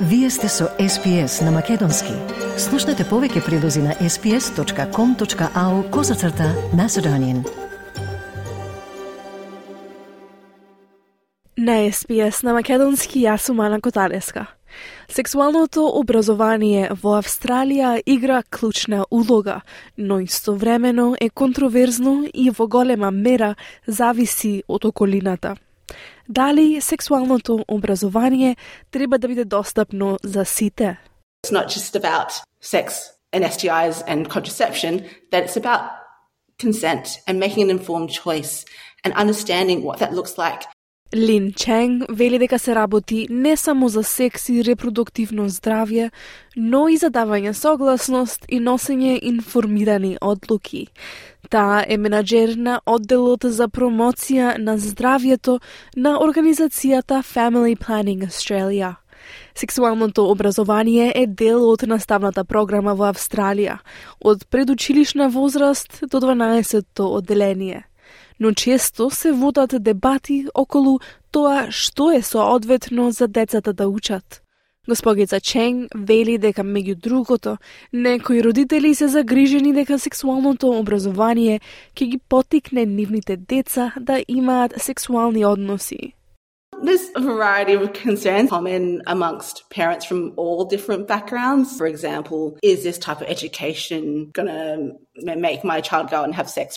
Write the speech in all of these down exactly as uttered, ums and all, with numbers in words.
Вие сте со Ес Пи Ес на Македонски. Слушнете повеќе прилози на ес пи ес точка ком точка ау козацрта Macedonian. На Ес Пи Ес на Македонски јас сум Ана Котареска. Сексуалното образование во Австралија игра клучна улога, но истовремено е контроверзно и во голема мера зависи од околината. Дали сексуалното образование треба да биде достапно за сите? It's not just about sex and S T Is and contraception, that it's about consent and making an informed choice and understanding what that looks like. Лин Ченг вели дека се работи не само за секс и репродуктивно здравје, но и за давање согласност и носење информирани одлуки. Таа е менаџер на одделот за промоција на здравјето на организацијата Family Planning Australia. Сексуалното образование е дел од наставната програма во Австралија, од предучилишна возраст до дванаесетто одделение. Но често се водат дебати околу тоа што е соодветно за децата да учат. Госпогица Ченг вели дека меѓу другото, некои родители се загрижени дека сексуалното образование ќе ги поттикне нивните деца да имаат сексуални односи. There's a variety of concerns common amongst parents from all different backgrounds. For example, is this type of education going to make my child go and have sex?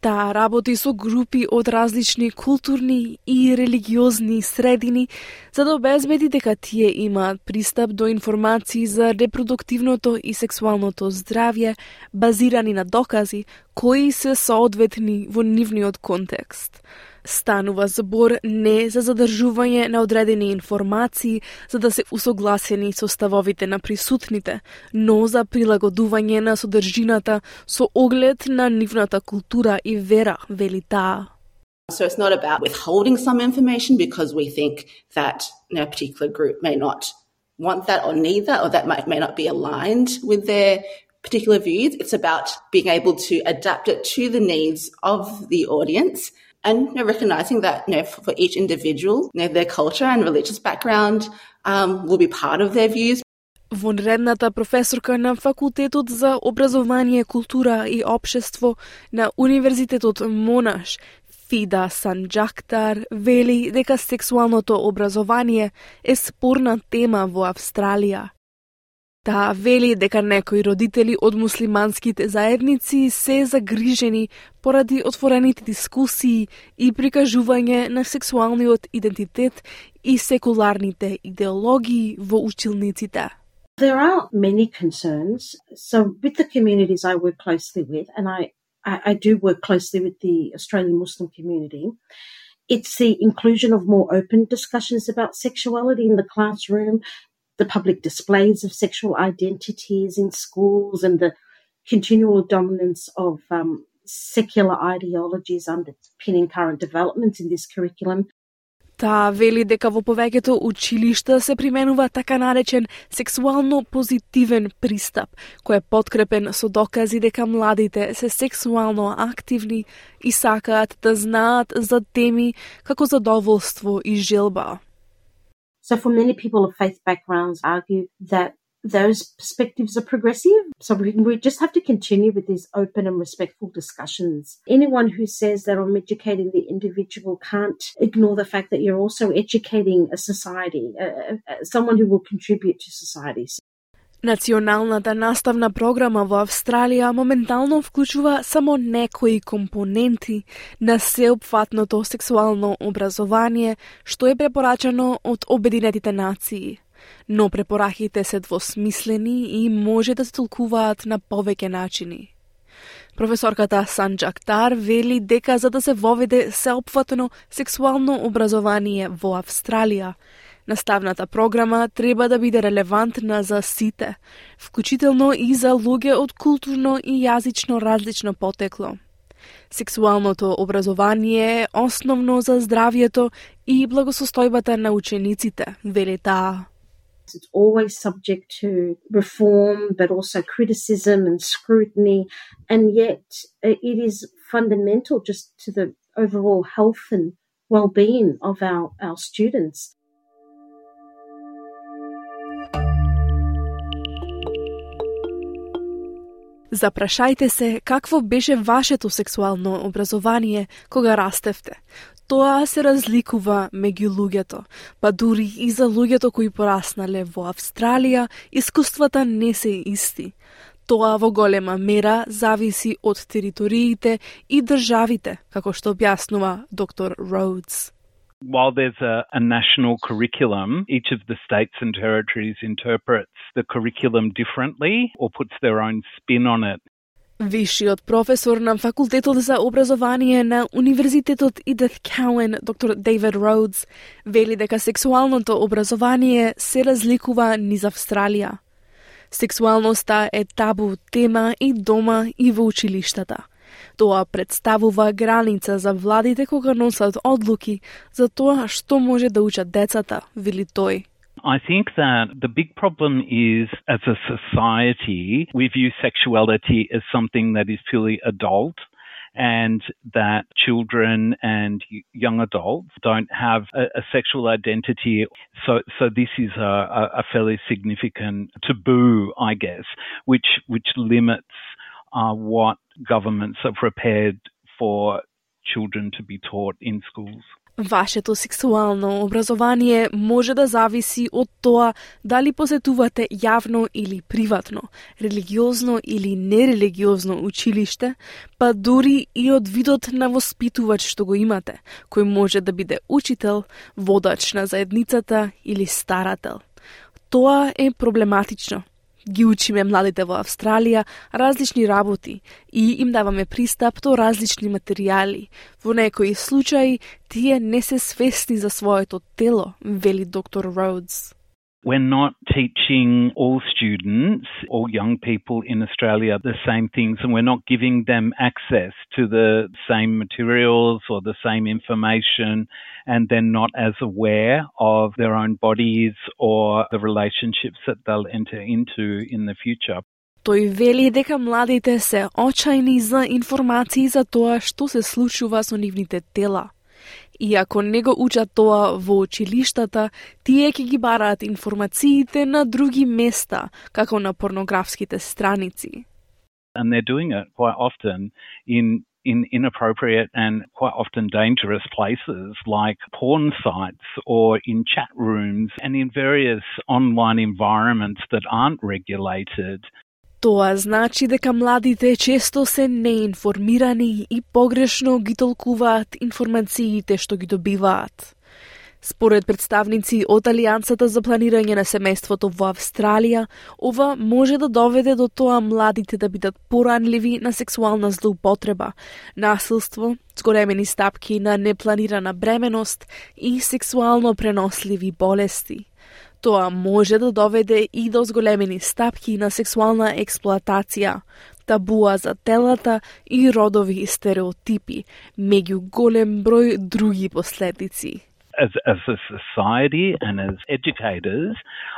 Таа работи со групи од различни културни и религиозни средини за да обезбеди дека тие имаат пристап до информации за репродуктивното и сексуалното здравје базирани на докази кои се соодветни во нивниот контекст. Станува збор не за задржување на одредени информации за да се усогласени со ставовите на присутните, но за прилагодување на содржината со оглед на нивната култура и вера, вели таа. So it's not about withholding some information because we think that you know, a particular group may not want that or need that or that might, may not be aligned with their particular views. It's about being able to adapt it to the needs of the audience. And you know, recognizing that you know, for each individual, you know, their culture and religious background um, will be part of their views. Вонредната професорка на Факултетот за образование, култура и општество на Универзитетот Монаш, Фида Санџактар, вели дека сексуалното образование е спорна тема во Австралија. Таа вели дека некои родители од муслиманските заедници се загрижени поради отворените дискусии и прикажување на сексуалниот идентитет и секуларните идеологии во училниците. There are many concerns. So with the communities I work closely with, and I, I, I do work closely with the Australian Muslim community, it's the inclusion of more open discussions about sexuality in the classroom, the public displays of sexual identities in schools, and the continual dominance of um, secular ideologies underpinning current developments in this curriculum. Таа вели дека во повеќето училишта се применува така наречен сексуално позитивен пристап, кој е подкрепен со докази дека младите се сексуално активни и сакаат да знаат за теми како задоволство и желба. So for many people of faith backgrounds argue that those perspectives are progressive. So we, we just have to continue with these open and respectful discussions. Anyone who says that I'm educating the individual can't ignore the fact that you're also educating a society, uh, uh, someone who will contribute to society. Националната наставна програма во Австралија моментално вклучува само некои компоненти на сеопфатното сексуално образование, што е препорачано од Обединетите нации. Но препораките се двосмислени и може да се толкуваат на повеќе начини. Професорката Санџактар вели дека за да се воведе сеопфатно сексуално образование во Австралија, наставната програма треба да биде релевантна за сите, вклучително и за луѓе од културно и јазично различно потекло. Сексуалното образование е основно за здравјето и благосостојбата на учениците, вели таа. It's always subject to reform, but also criticism and scrutiny, and yet it is fundamental just to the overall health and well-being of our, our students. Запрашајте се какво беше вашето сексуално образование кога растевте. Тоа се разликува меѓу луѓето, па дури и за луѓето кои пораснале во Австралија, искуствата не се исти. Тоа во голема мера зависи од териториите и државите, како што објаснува доктор Rhodes. While there's a, a national curriculum, each of the states and territories interprets the curriculum differently or puts their own spin on it. Вишиот професор на факултетот за образование на Универзитетот Edith Cowan, доктор Дейвид Роудс, вели дека сексуалното образование се разликува низ Австралија. Сексуалноста е табу тема и дома и во училиштата. Тоа представува граница за владите кога носат одлуки за тоа што може да учат децата, вели тој. I think that the big problem is, as a society, we view sexuality as something that is purely adult, and that children and young adults don't have a, a sexual identity. So, so this is a, a fairly significant taboo, I guess, which which limits uh, what governments are prepared for children to be taught in schools. Вашето сексуално образование може да зависи од тоа дали посетувате јавно или приватно, религиозно или нерелигиозно училиште, па дури и од видот на воспитувач што го имате, кој може да биде учител, водач на заедницата или старател. Тоа е проблематично. Ги учиме младите во Австралија различни работи и им даваме пристап до различни материјали. Во некои случаи тие не се свесни за своето тело, вели доктор Роудс. We're not teaching all students or young people in Australia the same things, and we're not giving them access to the same materials or the same information, and they're not as aware of their own bodies or the relationships that they'll enter into in the future. Тој вели дека младите се очајни за информации за тоа што се случува со нивните тела. И ако не го учат тоа во училиштата, тие ќе ги бараат информациите на други места, како на порнографските страници. And they're doing it quite often in in inappropriate and quite often dangerous places like porn sites or in chat rooms and in various online environments that aren't regulated. Тоа значи дека младите често се неинформирани и погрешно ги толкуваат информациите што ги добиваат. Според представници од Алијансата за планирање на семејството во Австралија, ова може да доведе до тоа младите да бидат поранливи на сексуална злоупотреба, насилство, зголемени стапки на непланирана бременост и сексуално преносливи болести. Тоа може да доведе и до зголемени стапки на сексуална експлоатација, табуа за телата и родови стереотипи, меѓу голем број други последици. As, as a society and as educators,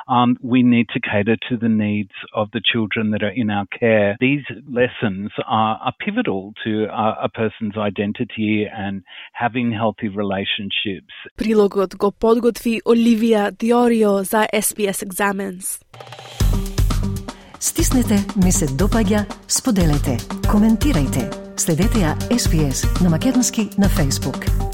um, we need to cater to the needs of the children that are in our care. These lessons are, are pivotal to a, a person's identity and having healthy relationships. Прилогот го подготви Оливија Диорио за S B S Examines. Стиснете, ми се допаѓа, споделете, коментирајте. Следете ја S B S на македонски на Facebook.